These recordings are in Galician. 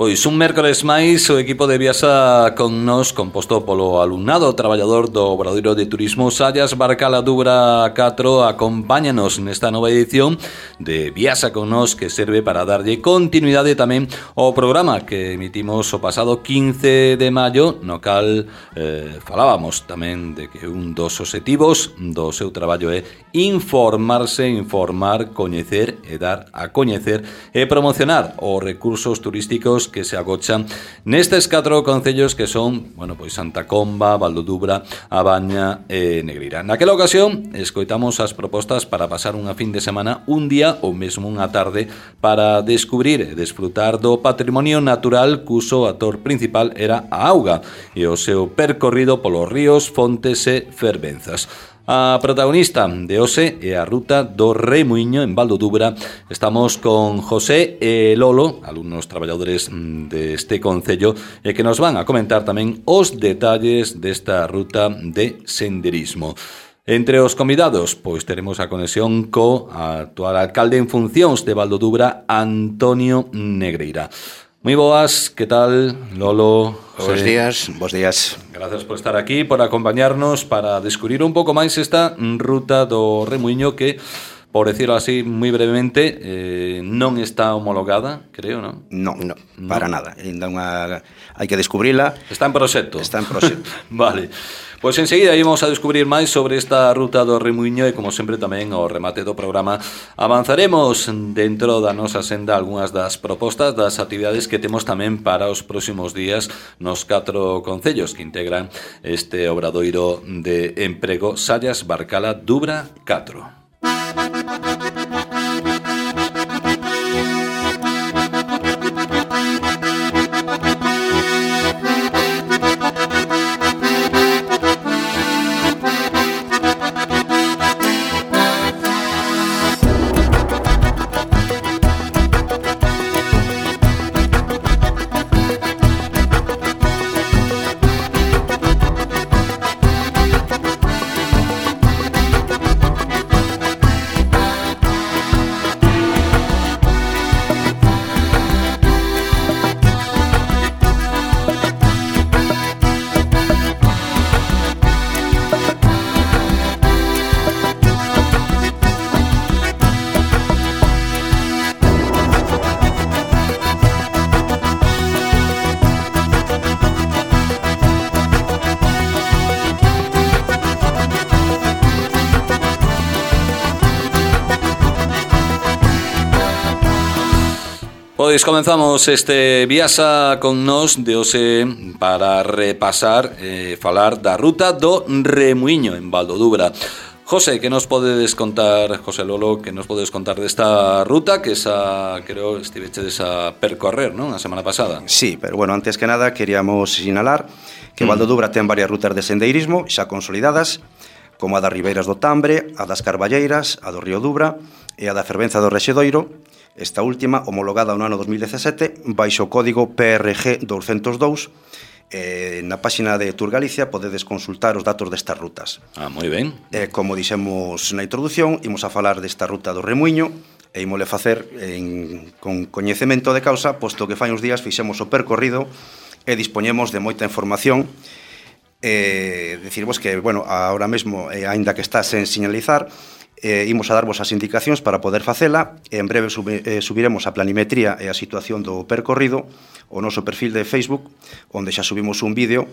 Pois un mércores máis o equipo de Viasa con nos composto polo alumnado traballador do Obradoiro de Turismo Sallas Barcala Dubra 4 acompáñanos nesta nova edición de Viasa con nos que serve para darlle continuidade tamén ao programa que emitimos o pasado 15 de maio no cal falábamos tamén de que un dos obxectivos do seu traballo é informarse, informar, coñecer e dar a coñecer e promocionar os recursos turísticos que se agochan nestes 4 concellos que son, bueno, pois Santa Comba, Val do Dubra, A Baña e Negreira. Naquela ocasión, escoitamos as propostas para pasar unha fin de semana, un día ou mesmo unha tarde para descubrir e desfrutar do patrimonio natural cuso actor principal era a auga e o seu percorrido polos ríos, fontes e fervenzas. A protagonista de hoxe é a ruta do Remuíño en Val do Dubra. Estamos con José e Lolo, alumnos traballadores deste concello, e que nos van a comentar tamén os detalles desta ruta de senderismo. Entre os convidados, pois teremos a conexión co actual alcalde en funcións de Val do Dubra, Antonio Negreira. Moi boas, que tal, Lolo? Bos días, bos días. Gracias por estar aquí, por acompañarnos para descubrir un pouco máis esta ruta do Remuíño que, por decirlo así moi brevemente, non está homologada, creo, non? Non, para nada. Ainda hai que descubrila. Está en proxecto. Está en proxecto. Vale. Pois enseguida íbamos a descubrir máis sobre esta ruta do Remuíño e, como sempre, tamén ao remate do programa avanzaremos dentro da nosa senda algunhas das propostas das actividades que temos tamén para os próximos días nos 4 concellos que integran este obradoiro de emprego Sallas Barcala Dubra 4. Pois comenzamos este Viasa con nos de hoxe para repasar falar da ruta do Remuíño en Val do Dubra. José, que nos podedes contar, José Lolo, que nos podedes contar desta ruta que creo estivechedes a percorrer, non? A semana pasada. Sí, pero bueno, antes que nada queríamos sinalar que Val do Dubra ten varias rutas de sendeirismo xa consolidadas, como a das Ribeiras do Tambre, a das Carballeiras, a do Río Dubra e a da Fervenza do Rexedoiro. Esta última, homologada no ano 2017, baixo o código PRG 202. Na páxina de Tour Galicia podedes consultar os datos destas rutas. Moi ben. Como dixemos na introdución, imos a falar desta ruta do Remuíño e imole facer con coñecemento de causa, posto que fai uns días fixemos o percorrido e dispoñemos de moita información. Decirvos que, bueno, ahora mesmo, aínda que está sen sinalizar, imos a darvos as indicacións para poder facela e en breve subiremos a planimetría e a situación do percorrido ao noso perfil de Facebook, onde xa subimos un vídeo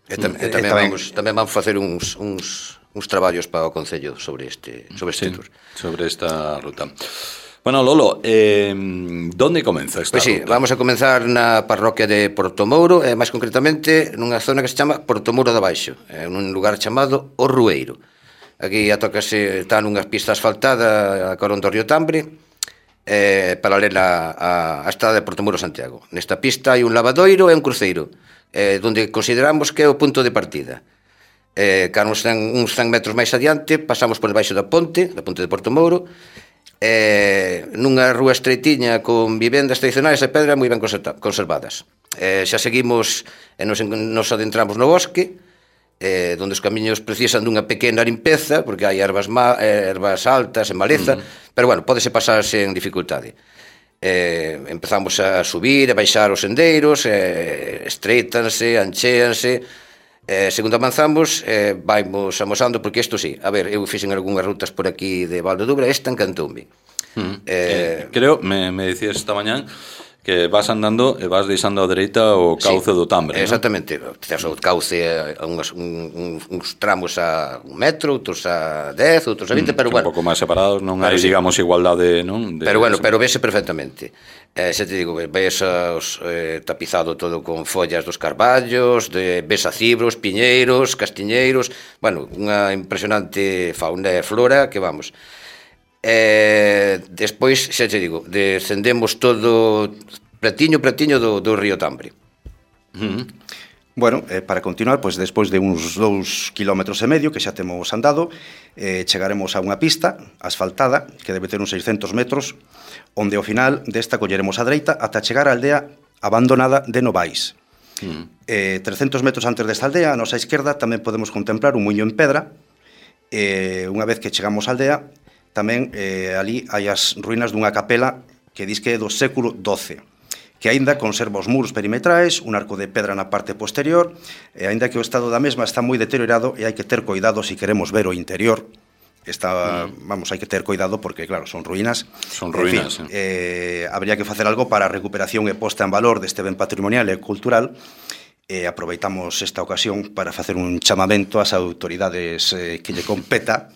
tamén vamos facer uns traballos para o Concello sobre este tour, sobre esta ruta. Bueno, Lolo, ¿dónde comeza esta ruta? Sí, vamos a comenzar na parroquia de Portomouro, máis concretamente nunha zona que se chama Portomouro de Baixo, nun lugar chamado O Rueiro. Aquí está nunha pista asfaltada a carón do río Tambre, paralela á estrada de Portomouro Santiago. Nesta pista hai un lavadoiro e un cruceiro, onde consideramos que é o punto de partida. Cando uns 100 metros máis adiante, pasamos por debaixo da ponte de Portomouro, nunha rúa estreitiña con vivendas tradicionais de pedra moi ben conservadas. Xa seguimos e nos adentramos no bosque, onde os camiños precisan dunha pequena limpeza, porque hai ervas altas e maleza, pero bueno, pódese pasar sen dificultade. empezamos a subir e baixar os sendeiros, estreitanse, anchéanse, segundo avanzamos, vaimos amosando, porque isto sí, a ver, eu fixen algunhas rutas por aquí de Val de Dubra, esta encantoume. Creo, me decías esta mañán, que vas andando e vas deixando a dereita o cauce do Tambre, non? Exactamente, tes o cauce a uns tramos a 1 metro, outros a 10, outros a 20, pero bueno, un pouco máis separados, non hai, digamos, igualdade, non? Pero bueno, pero vese perfectamente. Xa te digo, ves tapizado todo con follas dos carballos, ves a cibros, piñeiros, castiñeiros, bueno, unha impresionante fauna e flora que vamos. Despois, xa te digo, descendemos todo pretiño do río Tambre. Bueno, para continuar, pois despois de uns 2,5 km que xa temos andado, chegaremos a unha pista asfaltada que debe ter uns 600 metros, onde ao final desta colleremos a dereita ata chegar á aldea abandonada de Novais. 300 metros antes desta aldea, a nosa esquerda, tamén podemos contemplar un muiño en pedra. Unha vez que chegamos á aldea, tamén ali hai as ruínas dunha capela que dis que é do século XII, que aínda conserva os muros perimetrais, un arco de pedra na parte posterior, e aínda que o estado da mesma está moi deteriorado e hai que ter cuidado se queremos ver o interior. Vamos, hai que ter cuidado porque, claro, son ruínas. Son ruínas, en fin, habría que facer algo para a recuperación e posta en valor deste ben patrimonial e cultural. Aproveitamos esta ocasión para facer un chamamento ás autoridades que lle competa,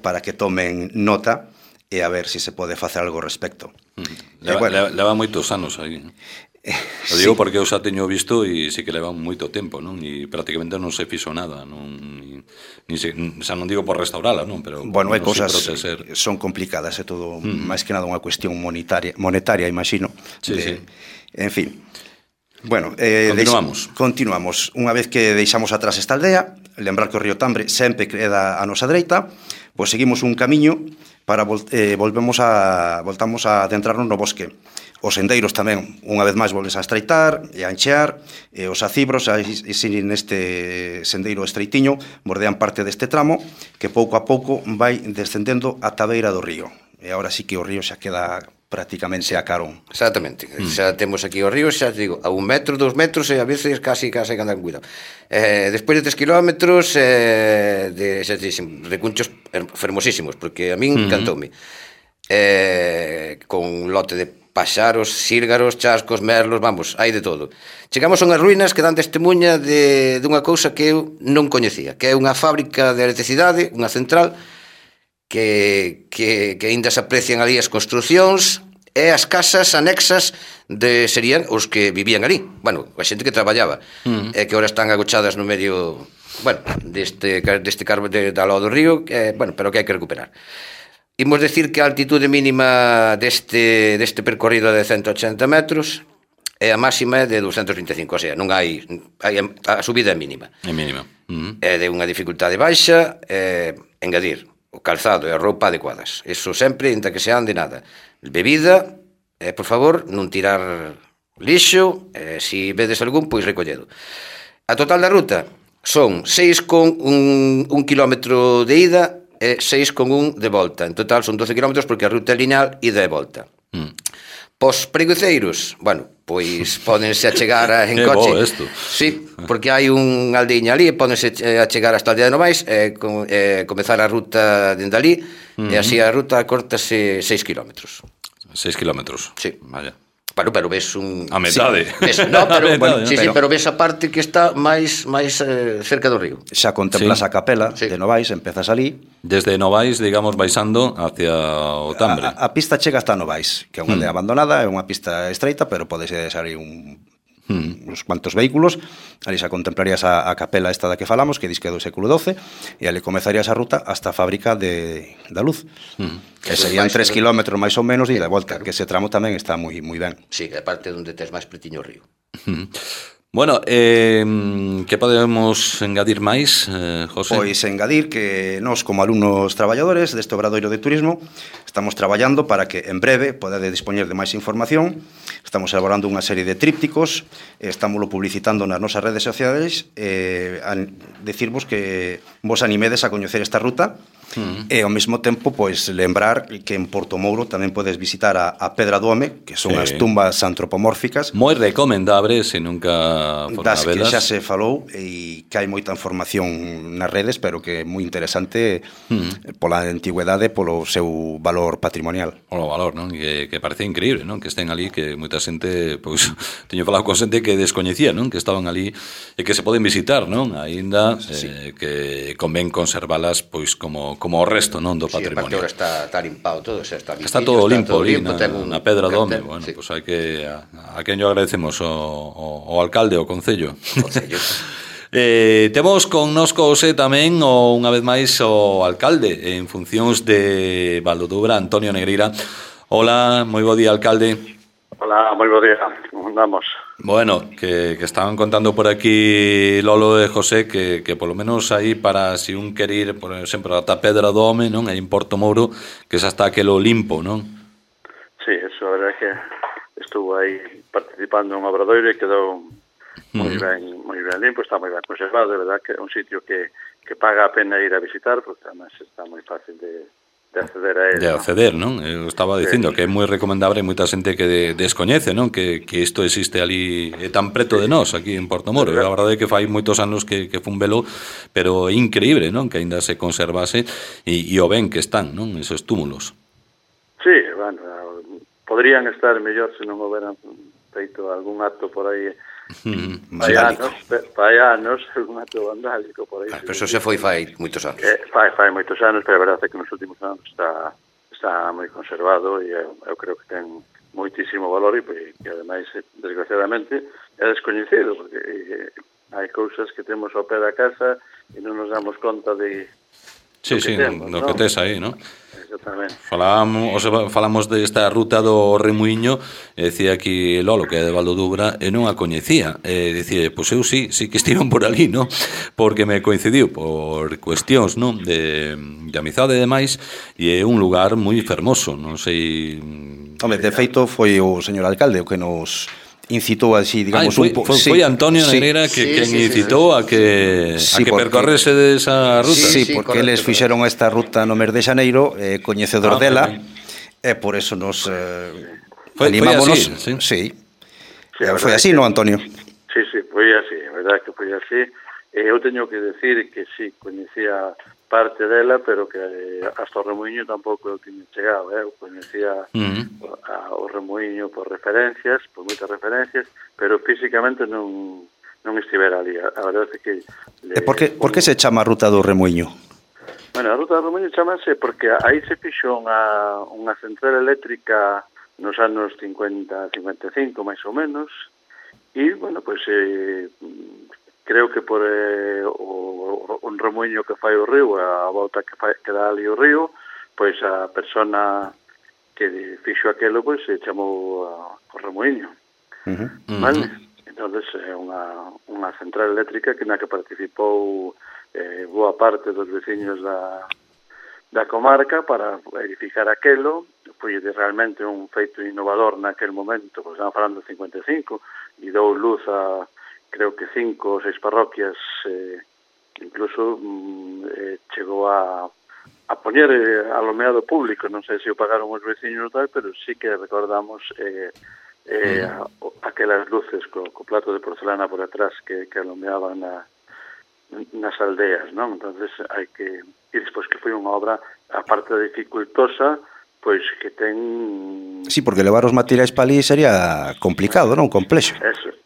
para que tomen nota e a ver se se pode facer algo ao respecto. Leva moitos anos aí. O digo porque eu xa teño visto e sí que leva moito tempo, non? E prácticamente non se fixo nada, non? Xa non digo por restaurala, non? Pero bueno, hai cosas son complicadas, é todo máis que nada unha cuestión monetaria, imagino. Sí. En fin. Bueno, continuamos. Unha vez que deixamos atrás esta aldea, lembrar que o río Tambre sempre queda a nosa dereita, pois seguimos un camiño para voltamos a adentrarnos no bosque. Os sendeiros tamén, unha vez máis, volves a estreitar e a anchear, e os acibros, neste sendeiro estreitiño, bordean parte deste tramo, que pouco a pouco vai descendendo ata a beira do río. E agora sí que o río xa queda prácticamente a carón. Exactamente, xa temos aquí o río, xa digo, a 1 metro, 2 metros e a veces casi que andan cuidado. Despois de 3 kilómetros de cunchos fermosísimos, porque a min encantoume. Con un lote de paxaros, sírgaros, chascos, merlos, vamos, hai de todo. Chegamos a unhas ruínas que dan testemunha dunha cousa que eu non coñecía, que é unha fábrica de electricidade, unha central, que aínda se aprecian ali as construcións e as casas anexas serían os que vivían ali. Bueno, a xente que traballaba, que ahora están agochadas no medio, bueno, deste carbo da lado do río, bueno, pero que hai que recuperar. Imos decir que a altitude mínima deste percorrido de 180 metros e a máxima é de 225, o sea, non hai a subida é mínima. É mínima. É de unha dificultade baixa, engadir o calzado e a roupa adecuadas. Eso sempre, inda que se ande nada. Bebida, por favor, non tirar lixo, se vedes algún, pois recolledo. A total da ruta son 6,1 kilómetro de ida e 6,1 de volta. En total son 12 kilómetros porque a ruta é lineal ida e volta. Pos preguiceiros, bueno, pois pódense a chegar en coche. Sí, porque hai unha aldeiña ali, pódense a chegar hasta a aldea de Novais e comezar a ruta dende ali, e así a ruta cortase 6 kilómetros. 6 kilómetros? Sí. Vaya. Bueno, pero ves un... A metade. Pero ves a parte que está máis cerca do río. Xa contemplas a capela de Novais, empezas ali. Desde Novais, digamos, baixando hacia o Tambre. A pista chega hasta Novais, que é unha aldea abandonada, é unha pista estreita, pero podes salir uns cuantos vehículos. Ali xa contemplarías a capela esta da que falamos, que diz que é do século XII, e ali comezarías a ruta hasta a fábrica da luz, que serían 3 kilómetros máis ou menos e de volta, que ese tramo tamén está moi ben. Sí, é parte onde tes máis pretiño o río. Bueno, que podemos engadir máis, José? Pois engadir que nós, como alumnos traballadores deste Obradoiro de Turismo, estamos traballando para que en breve podade dispoñer de máis información. Estamos elaborando unha serie de trípticos, estámoslo publicitando nas nosas redes sociais, a decirvos que vos animedes a coñecer esta ruta, E ao mesmo tempo, pois, lembrar que en Portomouro tamén podes visitar a Pedra do Home, que son as tumbas antropomórficas. Moi recomendable, se nunca foron das a velas. Que xa se falou e que hai moita información nas redes, pero que é moi interesante pola antigüedade, polo seu valor patrimonial. O valor, non? Que parece increíble, non? Que estén ali, que moita xente, pois, teño falado con xente que descoñecía, non? Que estaban ali e que se poden visitar, non? Aínda que convén conservalas, pois, como o resto, non? Do patrimonio. Sí, está limpado todo, está limpio. Está todo limpo ali na Pedra do Home. Bueno, pois hai que a quen yo agradecemos o alcalde, o concello. Temos connosco hoxe tamén unha vez máis o alcalde en funcións de Valdodubra, Antonio Negreira. Hola, moi bo día, alcalde. Hola, moi bo día, como andamos? Bueno, que estaban contando por aquí Lolo e José que polo menos aí para si un quer ir, por exemplo, ata Pedra do Home, non? Aí en Portomouro, que xa está aquelo limpo, non? Sí, eso, a verdade que estuvo aí participando en un obradoiro e quedou moi ben limpo, está moi ben conservado, de verdade que é un sitio que paga a pena ir a visitar, porque además está moi fácil de acceder a él. De acceder, non? Eu estaba dicindo que é moi recomendable, moita xente que descoñece, non? Que isto existe ali tan preto de nós, aquí en Portomouro. A verdade é que fai moitos anos que fun velo, pero é increíble, non? Que aínda se conservase e o ben que están, non? Esos túmulos. Sí, bueno, podrían estar mellor se non houberan feito algún acto por aí fai anos, un acto vandálico por aí. Pero eso se foi fai moitos anos. Fai moitos anos, pero a verdade é que nos últimos anos está moi conservado e eu creo que ten moitísimo valor e que ademais, desgraciadamente, é descoñecido, porque hai cousas que temos ao pé da casa e non nos damos conta de Sí, no que tes aí, non? Exactamente. Falamos desta ruta do Remuíño, e decía aquí Lolo, que é de Valdodubra, e non a coñecía. Dicía, pois eu sí que estiven por ali, non? Porque me coincidiu por cuestións, non? De amizade e demais, e é un lugar moi fermoso, non sei... Home, de feito, foi o señor alcalde o que nos incitou así, digamos, foi Antonio Negreira quen incitou a que percorrese desa ruta. Sí, porque eles fixeron esta ruta no mes de xaneiro, coñecedor dela, e por eso nos animámonos. Sí. Foi así, non, Antonio? Sí, foi así, a verdade que foi así. Eu teño que decir que sí, coñecía parte dela, pero que hasta o Remuíño tampouco eu tiña chegado, eu coñecía o Remuíño por referencias, por moitas referencias, pero físicamente non estivera ali. A verdade é que... Por que se chama a Ruta do Remuíño? Bueno, a Ruta do Remuíño chamase porque aí se fixo unha central eléctrica nos anos 50-55, máis ou menos, e, bueno, pois... creo que por un remuíño que fai o río, a volta que dá ali o río, pois a persona que fixo aquelo, pois se chamou o remuíño. Vale? Entonces é unha central eléctrica que na que participou boa parte dos veciños da comarca para edificar aquelo. Foi realmente un feito innovador naquel momento, pois estamos falando de 55, e dou luz a creo que 5 ou 6 parroquias, incluso chegou a poñer alumeado público, non sei se o pagaron os veciños ou tal, pero sí que recordamos aquelas luces co plato de porcelana por atrás que alumeaban nas aldeas, non? Entonces hai que... E despois que foi unha obra, aparte de dificultosa, pois que ten... Sí, porque levar os materiais para ali sería complicado, non? Complexo.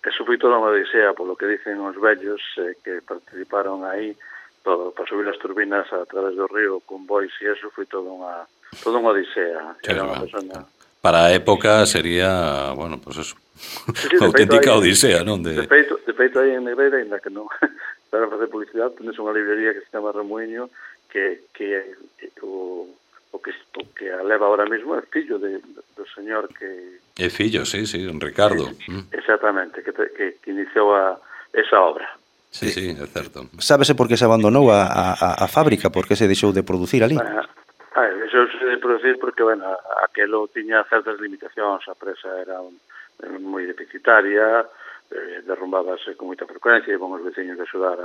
Eso foi toda unha odisea, polo que dicen os vellos que participaron aí, todo para subir as turbinas a través do río con bois e eso foi toda unha odisea. Era unha persona... Para a época sería, bueno, pues eso, unha auténtica odisea, non? De feito aí en Negreira, ainda que non para facer publicidade, tendes unha librería que se chama Remuíño, que o que a leva ahora mismo é fillo do señor que... É fillo, sí, don Ricardo. Exactamente, que iniciou esa obra. Sí, é certo. Sábese por que se abandonou a fábrica, por que se deixou de producir ali? Deixouse de producir porque, bueno, aquelo tiña certas limitacións, a presa era moi deficitaria, derrumbábase con moita frecuencia, e iban os veciños de axudar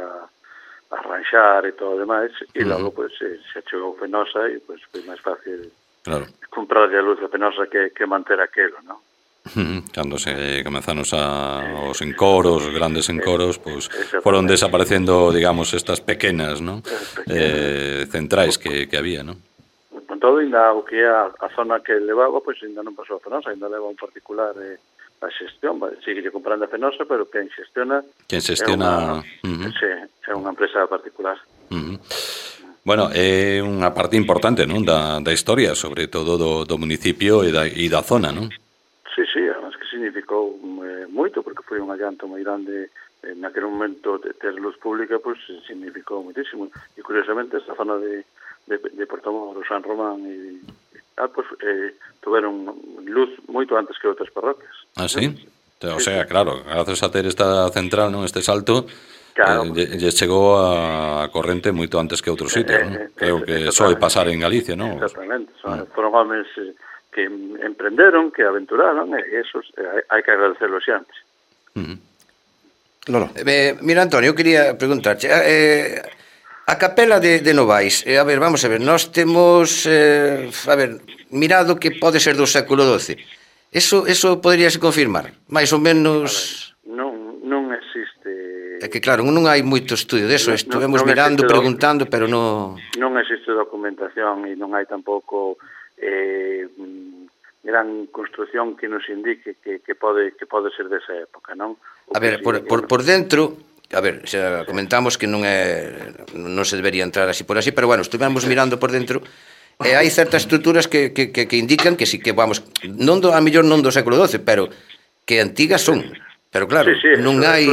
arranxar e todo o demais, e logo pues, se chegou Fenosa e pues, foi máis fácil comprar a luz de Fenosa que manter aquelo, non? Cando se comenzaron os encoros, grandes encoros, pues, foron desaparecendo, digamos, estas pequenas, ¿no? Centrais que había, ¿no? Con todo, ainda o que é a zona que levaba, pois ainda non pasou a Fenosa, ainda leva un particular a xestión, sigue comprando a Fenosa, pero quen xestiona é unha empresa particular. Bueno, é unha parte importante, non, da historia, sobre todo do municipio e da zona, non? Sí, además que significou moito, porque foi un allanto moi grande naquele momento de ter luz pública, pois significou moitísimo. E curiosamente, esta zona de Portomoro, San Román e pues, tuveron luz moito antes que outras parroquias. Ah, sí? O sea, claro, gracias a ter esta central, non, este salto, lle chegou a corrente moito antes que outros sitios, non? Creo que soe pasar en Galicia, non? Exactamente, foron homens que emprenderon, que aventuraron, e esos hai que agradecerlos antes. Lolo. Mira, Antonio, eu quería preguntarte, a capela de Novais, a ver, vamos a ver, nós temos, mirado que pode ser do século XII. Eso poderíase confirmar? Mais ou menos... Non existe... É que claro, non hai moito estudio deso, estivemos mirando, preguntando, pero non... Non existe documentación e non hai tampouco gran construción que nos indique que pode ser desa época, non? A ver, por dentro... A ver, xa comentamos que non se debería entrar así por así, pero bueno, estivemos mirando por dentro e hai certas estruturas que indican que sí que vamos, a mellor non do século XII, pero que antigas son. Pero claro, non hai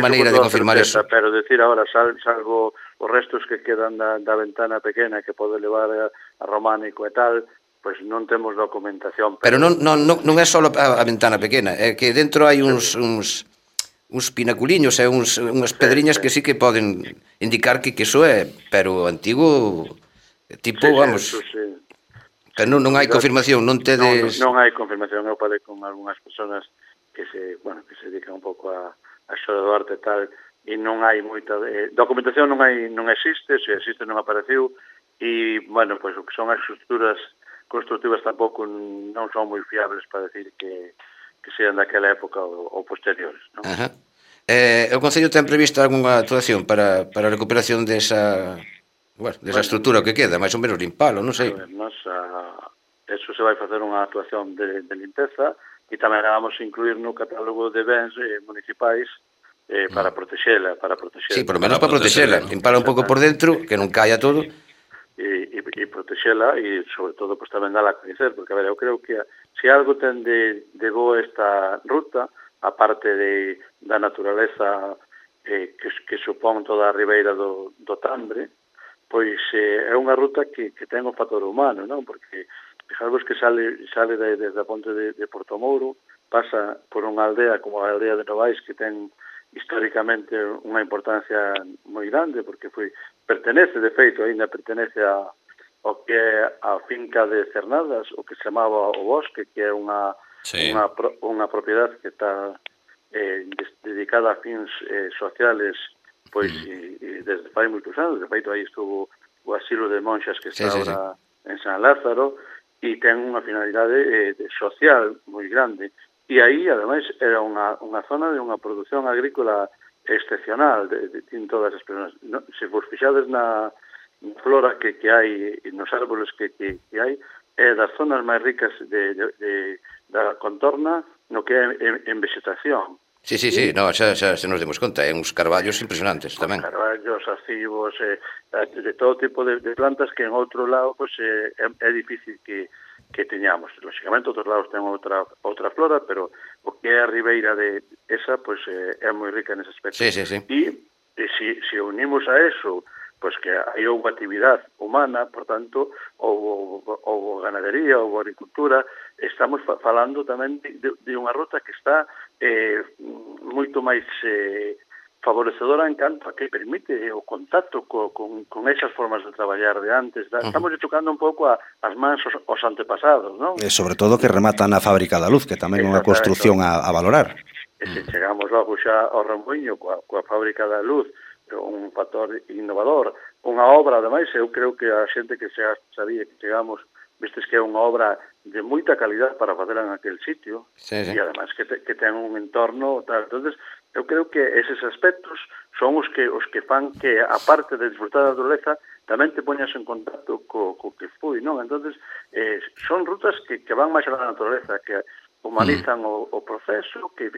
maneira de confirmar eso. Pero decir agora, salvo os restos que quedan da ventana pequena que pode levar a románico e tal, pois non temos documentación. Pero non é só a ventana pequena, é que dentro hai uns pinaculiños e unhas pedriñas que sí que poden indicar que iso é, pero antigo tipo, vamos, pero non hai confirmación, non tedes... Non hai confirmación, eu falei con algunhas persoas que se dedican un pouco a xora do arte e tal, e non hai moita... documentación non existe, se existe non apareceu, e, bueno, pois o que son as estruturas constructivas tampouco non son moi fiables para decir que sean daquela época ou posteriores, non? O Concello ten prevista algunha actuación para a recuperación desa estrutura que queda, máis ou menos limpalo, non sei. Eso se vai facer unha actuación de limpeza e tamén vamos a incluir no catálogo de bens municipais para protexela. Sí, por lo menos para protexela, limpala un pouco por dentro, que non caia todo. E protexela e, sobre todo, pues, tamén dala a coñecer, porque, a ver, eu creo que se algo ten de boa esta ruta, a parte da naturaleza que supón toda a ribeira do Tambre, pois é unha ruta que ten o factor humano, non? Porque, fijadvos que sale desde a ponte de Portomoro, pasa por unha aldea como a aldea de Novais, que ten históricamente unha importancia moi grande, porque pertenece, de feito, ainda pertenece ao que é a finca de Cernadas, o que se chamaba o Bosque, que é unha propiedade que está dedicada a fins sociales, pois desde fai moitos anos. De feito, aí estuvo o asilo de monxas que está agora en San Lázaro, e ten unha finalidade social moi grande. E aí, ademais, era unha zona de unha produción agrícola excepcional en todas as persoas. Se vos fixades na flora que hai, nos árboles que hai, é das zonas máis ricas da contorna no que é en vegetación. Sí, xa se nos demos conta, hai uns carballos impresionantes tamén. Carballos, acivos, de todo tipo de plantas que en outro lado é difícil que teñamos. Lógicamente, outros lados ten outra flora, pero o que é a ribeira de esa, é moi rica nese aspecto. Sí. E se unimos a eso, pois que hai unha actividade humana, por tanto, ou ganadería, ou agricultura, estamos falando tamén de unha ruta que está moito máis favorecedora en canto a que permite o contacto con esas formas de traballar de antes. Estamos tocando un pouco as mans os antepasados, non? E sobre todo que rematan a fábrica da luz, que tamén é unha construción a valorar. E se chegamos logo xa ao Rambuiño coa fábrica da luz, un factor innovador. Unha obra, ademais, eu creo que a xente que xa sabía que chegamos, vistes que é unha obra de moita calidad para facela en aquel sitio, e ademais que ten un entorno tal. Entonces, eu creo que eses aspectos son os que fan que, a parte de disfrutar da naturaleza, tamén te poñas en contacto co que foi, non? Entonces, son rutas que van máis a la naturaleza, que humanizan o proceso, que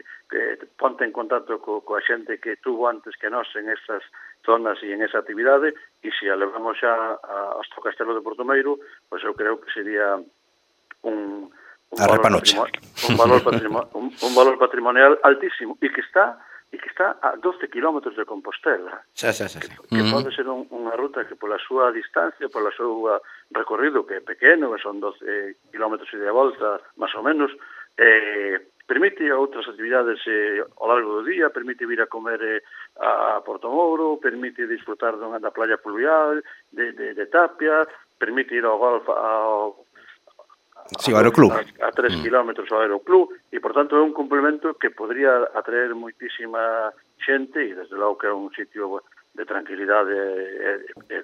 ponte en contacto coa xente que tuvo antes que nós en esas zonas e en esa actividade, e se a levamos xa hasta o Castelo de Portomeiro, pois eu creo que sería un valor patrimonial altísimo, e que está a 12 kilómetros de Compostela. Que pode ser unha ruta que pola súa distancia, pola súa recorrido, que é pequeno, que son 12 kilómetros e de volta, máis ou menos, permite outras actividades ao largo do día, permite vir a comer a Portomouro, permite disfrutar da playa fluvial, de Tapia, permite ir ao golf ao Aeroclub. A 3 kilómetros ao Aeroclub, e, por tanto, é un complemento que podría atraer moitísima xente, e, desde logo, que é un sitio de tranquilidade e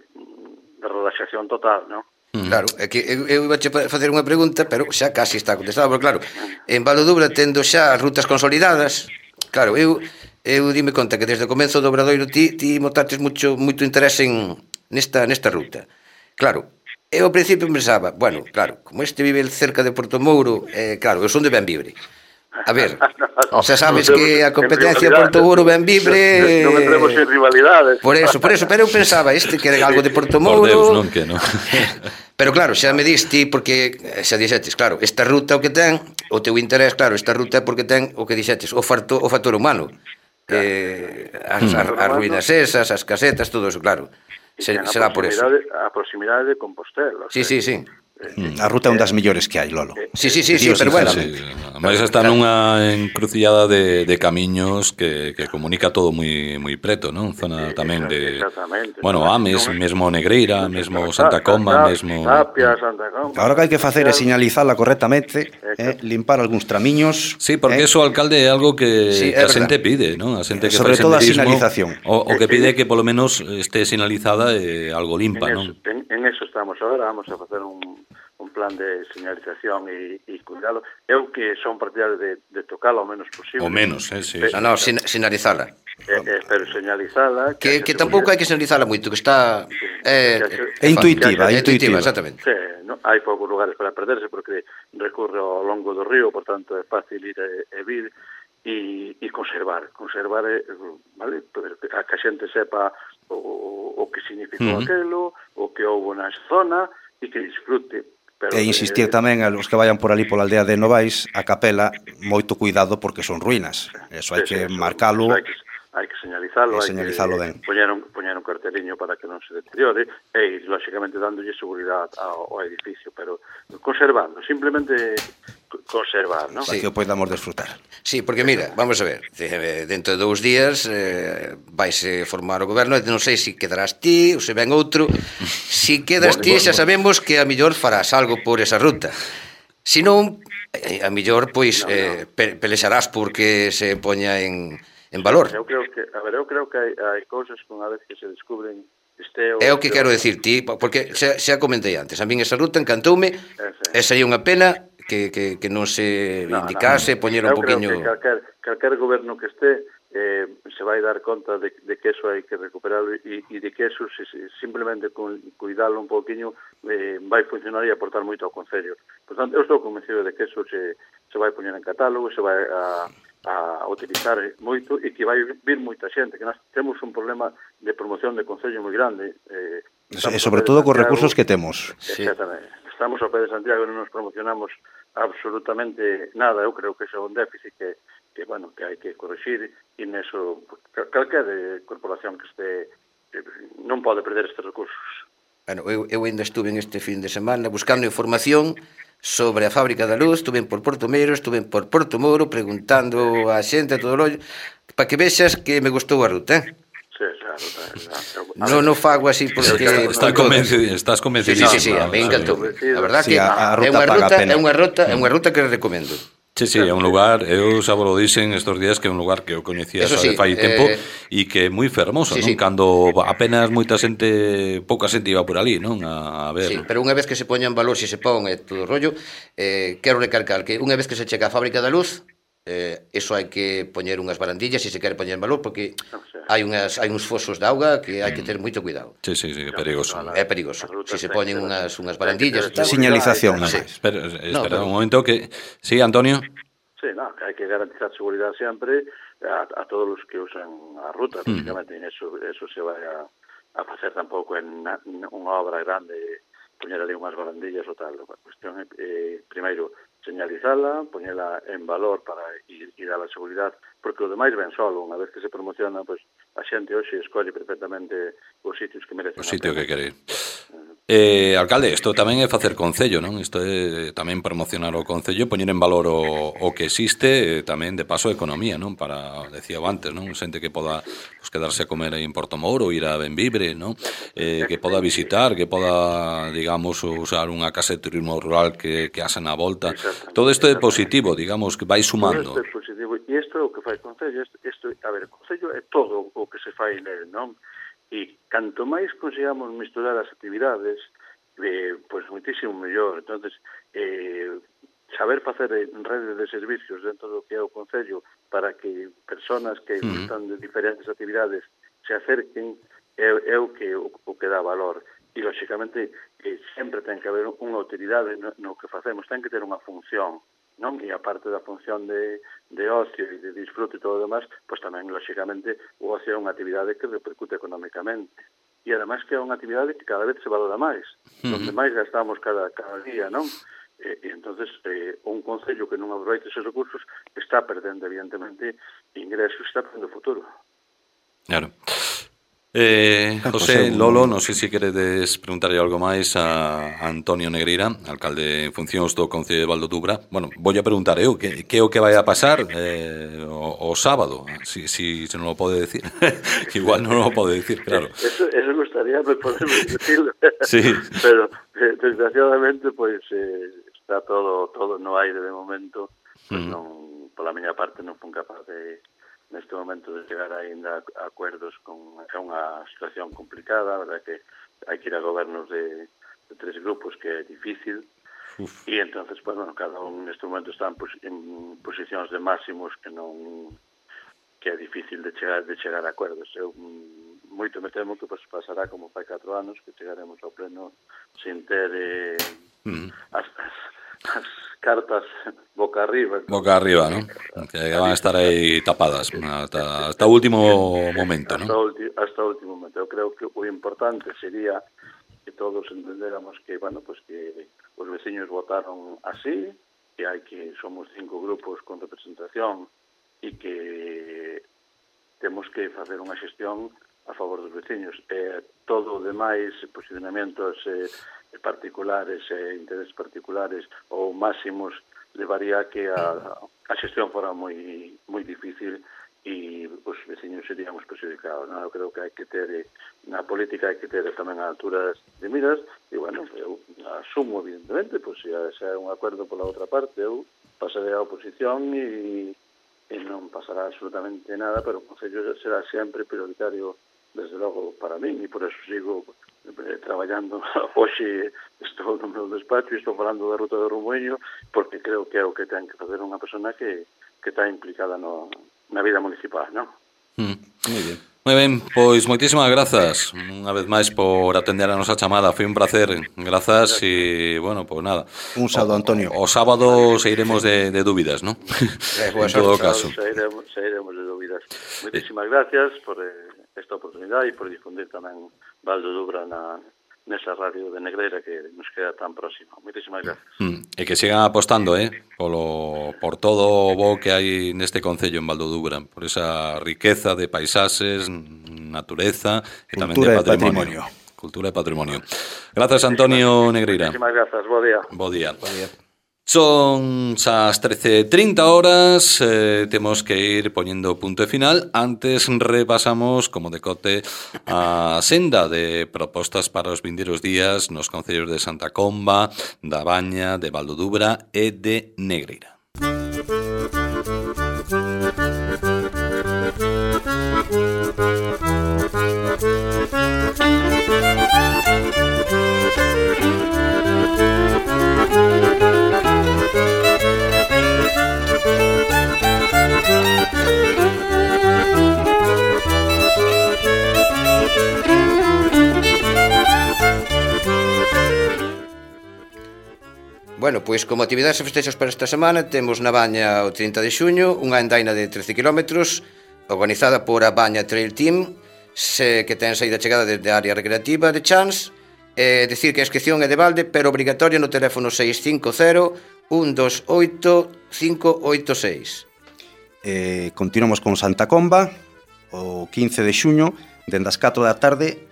de relaxación total, non? Claro, é que eu iba a facer unha pregunta, pero xa casi está contestada, porque claro, en Valodubra tendo xa as rutas consolidadas, claro, eu dime conta que desde o comenzo do Obradoiro ti motaste moito interés nesta ruta. Claro, eu ao principio pensaba, bueno, claro, como este vive cerca de Portomouro, claro, eu son de Benvibre. A ver, xa sabes que a competencia Portomouro-Benvibre... Non entremos en rivalidades. Por eso, pero eu pensaba, que era algo de Portomouro... Por Deus, non que non. Pero claro, xa me diste, porque xa dixetes, claro, esta ruta o que ten, o teu interés, claro, esta ruta é porque ten o que dixetes, o factor humano. As ruínas esas, as casetas, todo eso, claro. Será por eso. A proximidade de Compostela. Sí. A ruta é un das mellores que hai, Lolo. Sí, pero bueno. Ademais está nunha encrucillada de camiños que comunica todo moi preto, non? Zona tamén de... Bueno, Ames, mesmo Negreira, mesmo Santa Comba, mesmo... Tapia, Santa Comba... Agora que hai que facer é sinalizala correctamente, limpar algúns tramiños... Sí, porque eso, alcalde, é algo que a xente pide, non? A xente que sobre todo a sinalización. O que pide que polo menos este sinalizada e algo limpa, non? En eso estamos agora, vamos a facer un plan de señalización e cuidado. Eu que son partidario de tocalo o menos posible. O menos, sí. No, sinalizala. Pero señalizala... Que tampouco hai que señalizala moito, que está... É intuitiva, exactamente. Sí, hai poucos lugares para perderse, porque recorre ao longo do río, por tanto é fácil ir e vir, e conservar, vale? A que a xente sepa o que significou aquelo, o que houve na zona, e que disfrute. E insistir tamén a los que vayan por ali pola aldea de Novais, a capela, moito cuidado porque son ruínas. Eso hai que marcalo. Hai que señalizalo, ben. Poñer un carteliño para que non se deteriore e, lógicamente, dándolle seguridade ao edificio, pero conservando, simplemente conservar, non? Para que o podamos desfrutar. Sí, porque mira, vamos a ver, dentro de 2 días vais formar o goberno, non sei se quedarás ti ou se ven outro. Se quedas ti, xa sabemos que a mellor farás algo por esa ruta. Se non, a mellor, pois, pelexarás porque se poña en valor. Eu creo que hai cousas que unha vez que se descubren é o que quero decir ti, porque xa comentei antes, a min esa ruta encantoume, esa é unha pena que non se indicase, poñer un poquinho... Eu creo que calquer goberno que este se vai dar conta de que eso hai que recuperarlo e de que eso simplemente con cuidarlo un poquinho vai funcionar e aportar moito ao Concello. Por tanto, eu estou convencido de que eso se vai poñer en catálogo, se vai a utilizar moito e que vai vir moita xente, que nós temos un problema de promoción de Concello moi grande. E sobre todo cos recursos que temos. Exactamente. Estamos ao pé de Santiago e non nos promocionamos absolutamente nada. Eu creo que ese é un déficit que hai que corregir, e neso calquer corporación que este non pode perder estes recursos. Bueno, eu ainda estuve este fin de semana buscando información sobre a Fábrica da Luz, estuve por Portomeiro, estuve por Portomouro, preguntando a xente, a todo o rollo, para que vexas que me gustou a ruta, Sí, a ruta. Non fago así porque... Estás convencido. Sí, a mí encantou. A verdad que é unha ruta que recomendo. Sí, é un lugar, eu xa vos lo dixen estos días, que é un lugar que eu coñecía xa de fai tempo e que é moi fermoso, non? Cando apenas moita xente, pouca xente iba por ali, non? A ver. Sí, pero unha vez que se poña en valor, se se pon todo o rollo, quero recalcar que unha vez que se chega a fábrica da luz, eso hai que poñer unhas barandillas se se quere poñer en valor, porque hai uns fosos de auga que hai que ter moito cuidado. Sí, é perigoso. É perigoso. Se se poñen unhas barandillas, señalización, non? Espera un momento que... Sí, Antonio? Sí, no, que hai que garantizar seguridade sempre a todos os que usan a ruta, lógicamente, eso se vai a facer tampouco en unha obra grande, poñer ali unhas barandillas ou tal. A cuestión é, primeiro, señalizala, poñela en valor para ir dar a seguridade, porque o demais ven solo, unha vez que se promociona, pues, a xente hoxe escolle perfectamente os sitios que merecen. O sitio que quere ir. Alcalde, isto tamén é facer concello, non? Isto é tamén promocionar o concello, poñer en valor o que existe, tamén de paso a economía, non? Para, decía antes, non? Xente que poda pues, quedarse a comer aí en Portomouro, ir a Benvibre, non? Que poda visitar, que poda, digamos, usar unha casa de turismo rural que haxa na volta. Todo isto é positivo, digamos, que vai sumando. Todo isto é positivo, e isto é o que fai o concello. A ver, o concello é todo o que se fai nele, non? E canto máis consigamos misturar as actividades, pois moitísimo mellor. Entonces, saber facer redes de servicios dentro do que é o concello para que personas que gustan de diferentes actividades se acerquen é o que dá valor. E, lógicamente, sempre ten que haber unha utilidade no que facemos, ten que ter unha función, non? E aparte da función de ocio e de disfrute e todo o demás, pois tamén, lógicamente, o ocio é unha actividade que repercute económicamente. E, además, que é unha actividade que cada vez se valora máis, onde máis gastamos cada día, non? E entonces un concello que non aproveita esos recursos está perdendo, evidentemente, ingresos, está perdendo futuro. Claro. José, Lolo, non sei se queredes preguntarlle algo máis a Antonio Negreira, alcalde en funcións do Concello de Valdodubra. Bueno, vou a preguntar eu, que é o que vai a pasar o sábado, si non o pode decir. Igual non o pode decir, claro. Eso gustaría poder decirlo. Sí. Pero, desgraciadamente, pois está todo no aire de momento, pois non, pola miña parte non fun capaz de neste momento de chegar ainda a acuerdos é unha situación complicada, a verdade que hai que ir a gobernos de 3 grupos que é difícil. E entonces, pues, bueno, cada un neste momento está en posicións de máximos que é difícil de chegar a acuerdos. Eu moito me temo que pues, pasará como fai 4 anos, que chegaremos ao pleno sin ter as cartas boca arriba. Boca arriba, ¿no? Que van a estar aí tapadas hasta o último momento, ¿no? Hasta o último momento. Eu creo que o importante sería que todos entendéramos que, bueno, pues que os veciños votaron así, que somos 5 grupos con representación e que temos que facer unha xestión a favor dos veciños. Todo o demais, posicionamentos particulares e intereses particulares ou máximos levaría que a xestión fora moi difícil e os veciños seríamos perjudicados. Eu creo que hai que ter na política, hai que ter tamén a alturas de miras e, bueno, eu asumo, evidentemente, pois se hai un acordo pola outra parte, eu pasaré a oposición e non pasará absolutamente nada, pero o Concello será sempre prioritario, desde logo, para min, e por eso sigo traballando. Hoxe estou no meu despacho e estou falando da ruta do Rumoeño porque creo que é o que ten que facer unha persona que está implicada na vida municipal, non? Moi ben, pois moitísimas grazas unha vez máis por atender a nosa chamada. Foi un placer, grazas e, bueno, pois nada. Un saúdo, Antonio. O sábado sairemos de dúbidas, non? En todo caso. Sairemos de dúbidas. Moitísimas gracias por esta oportunidade e por difundir tamén Valdodubra nesa radio de Negreira que nos queda tan próxima. Moitísimas gracias. E que sigan apostando por todo o bo que hai neste concello en Valdodubra, por esa riqueza de paisaxes, natureza e tamén de patrimonio. Cultura e patrimonio. Grazas, Antonio Negreira. Moitísimas grazas, bo día. Bo día. Son as 13:30, temos que ir poñendo punto e final. Antes repasamos, como decote, a senda de propostas para os vindeiros días nos concellos de Santa Comba, da Baña, de Valdodubra e de Negreira. Bueno, pois como actividades e festexos para esta semana temos na Baña o 30 de xuño unha andaina de 13 km organizada por a Baña Trail Team que ten saída chegada desde a área recreativa de Chans. Decir que a inscripción é de balde, pero obrigatoria no teléfono 650 128 586. Continuamos con Santa Comba o 15 de xuño dende as 4 da tarde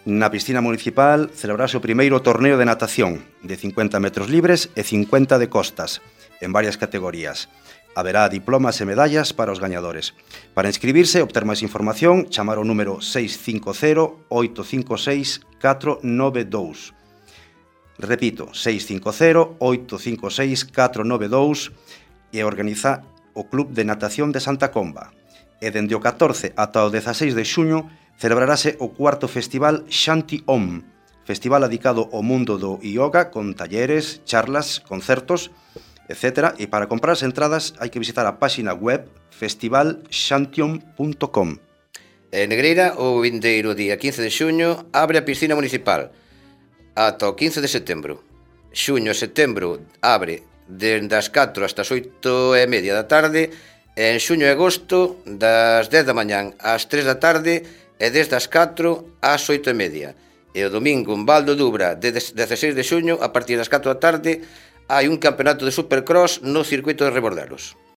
na piscina municipal celebrarse o primeiro torneo de natación de 50 metros libres e 50 de costas en varias categorías. Haberá diplomas e medallas para os gañadores. Para inscribirse e obter máis información, chamar o número 650-856-492. Repito, 650-856-492 e organiza o Club de Natación de Santa Comba. E dende o 14 ata o 16 de xuño celebrarase o cuarto festival Shanti Om, festival dedicado ao mundo do yoga con talleres, charlas, concertos, etc. E para comprar as entradas hai que visitar a páxina web festivalshantiom.com. En Negreira, o vindeiro día 15 de xuño, abre a piscina municipal ata o 15 de setembro. Xuño e setembro abre dende as 4 hasta as 8:30 da tarde, en xuño e agosto das 10 da mañán ás 3 da tarde e desde as 4 ás 8:30. E o domingo en Val do Dubra, de 16 de xuño, a partir das 4 da tarde, hai un campeonato de Supercross no circuito de Rebordelos.